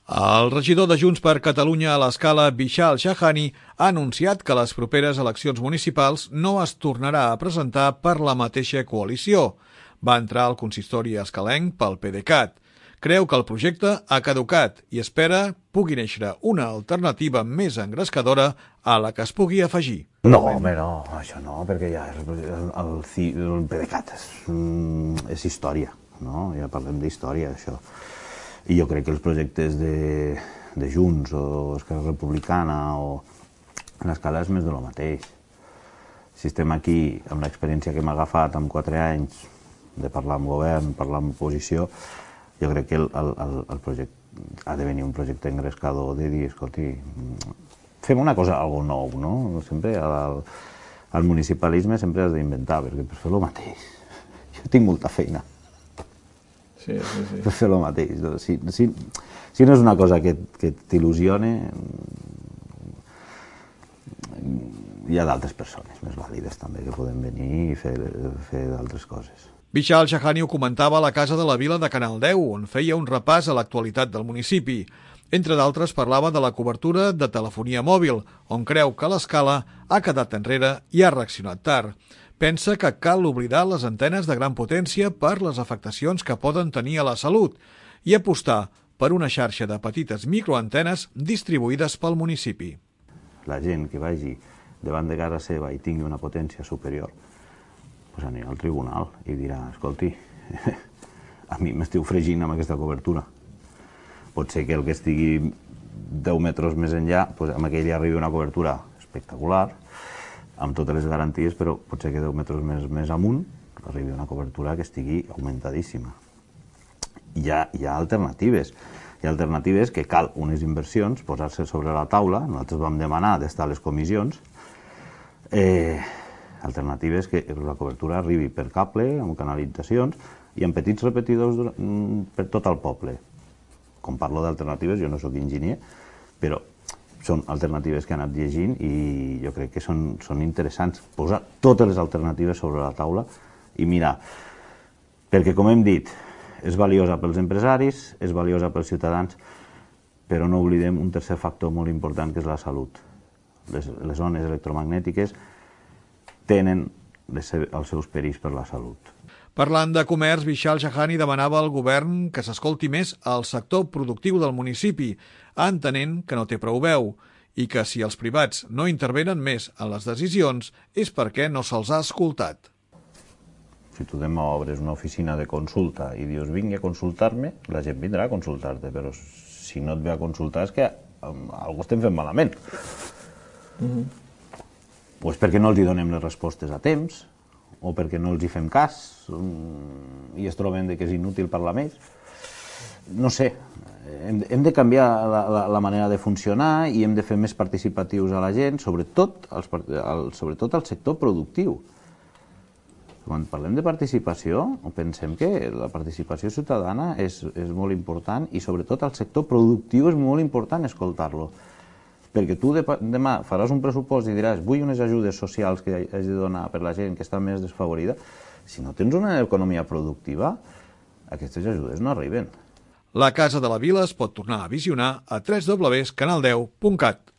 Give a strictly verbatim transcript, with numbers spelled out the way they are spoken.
El regidor de Junts per Catalunya a l'Escala, Vishal Shahani, ha anunciat que a les properes eleccions municipals no es tornarà a presentar per la mateixa coalició. Va entrar al consistori escalenc pel PDeCAT. Creu que el projecte ha caducat i espera pugui néixer una alternativa més engrescadora a la que es pugui afegir. No, home, no, això no, perquè ja el, el, el PDeCAT és, és història, no? Ja parlem d'història, això. I jo crec que els projectes de, de Junts o Esquerra Republicana o l'Escala és més de lo mateix. Si estem aquí, amb l'experiència que hem agafat en quatre anys de parlar amb govern, parlar amb oposició, jo crec que el, el, el projecte ha de venir un projecte engrescador de dir, escolti, fem una cosa, algo nou, no? Sempre al, al municipalisme sempre has d'inventar, perquè per fer el mateix. Jo tinc molta feina. Sí, sí, sí. Per fer el mateix. Si, si, si no és una cosa que, que t'il·lusione, hi ha d'altres persones més vàlides també que poden venir i fer, fer d'altres coses. Vishal Shahani ho comentava a la Casa de la Vila de Canal deu, on feia un repàs a l'actualitat del municipi. Entre d'altres parlava de la cobertura de telefonia mòbil, on creu que l'Escala ha quedat enrere i ha reaccionat tard. Pensa que cal oblidar les antenes de gran potència per les afectacions que poden tenir a la salut i apostar per una xarxa de petites microantenes distribuïdes pel municipi. La gent que vagi davant de casa seva i tingui una potència superior, doncs anirà al tribunal i dirà, escolti, a mi m'esteu fregint amb aquesta cobertura. Pot ser que el que estigui deu metres més enllà, doncs amb aquell arribi una cobertura espectacular, amb totes les garanties, però pot ser que deu metres més, més amunt arribi una cobertura que estigui augmentadíssima. Hi ha, hi ha alternatives. Hi ha alternatives que cal unes inversions, posar-se sobre la taula. Nosaltres vam demanar d'estar a les comissions. Eh, alternatives que la cobertura arribi per cable, amb canalitzacions i amb petits repetidors per tot el poble. Com parlo d'alternatives, jo no sóc enginyer, però són alternatives que he anat llegint i jo crec que són, són interessants. Posar totes les alternatives sobre la taula i mirar. Perquè, com hem dit, és valiosa pels empresaris, és valiosa pels ciutadans, però no oblidem un tercer factor molt important, que és la salut. Les, les ones electromagnètiques tenen les, els seus perills per la salut. Parlant de comerç, Vishal Shahani demanava al govern que s'escolti més al sector productiu del municipi, entenent que no té prou veu i que si els privats no intervenen més en les decisions és perquè no se'ls ha escoltat. Si tu demà obres una oficina de consulta i dius vingui a consultar-me, la gent vindrà a consultar-te, però si no et ve a consultar és que algú estem fent malament. Mm-hmm. Pues perquè no els hi donem les respostes a temps, o perquè no els hi fem cas i es troben que és inútil parlar més. No sé, hem, hem de canviar la, la, la manera de funcionar i hem de fer més participatius a la gent, sobretot, els, el, sobretot al sector productiu. Quan parlem de participació, pensem que la participació ciutadana és, és molt important i sobretot al sector productiu és molt important escoltar-lo. Perquè tu demà faràs un pressupost i diràs vull unes ajudes socials que hagi de donar per la gent que està més desfavorida. Si no tens una economia productiva, aquestes ajudes no arriben. La Casa de la Vila es pot tornar a visionar a w w w punt canal deu punt cat.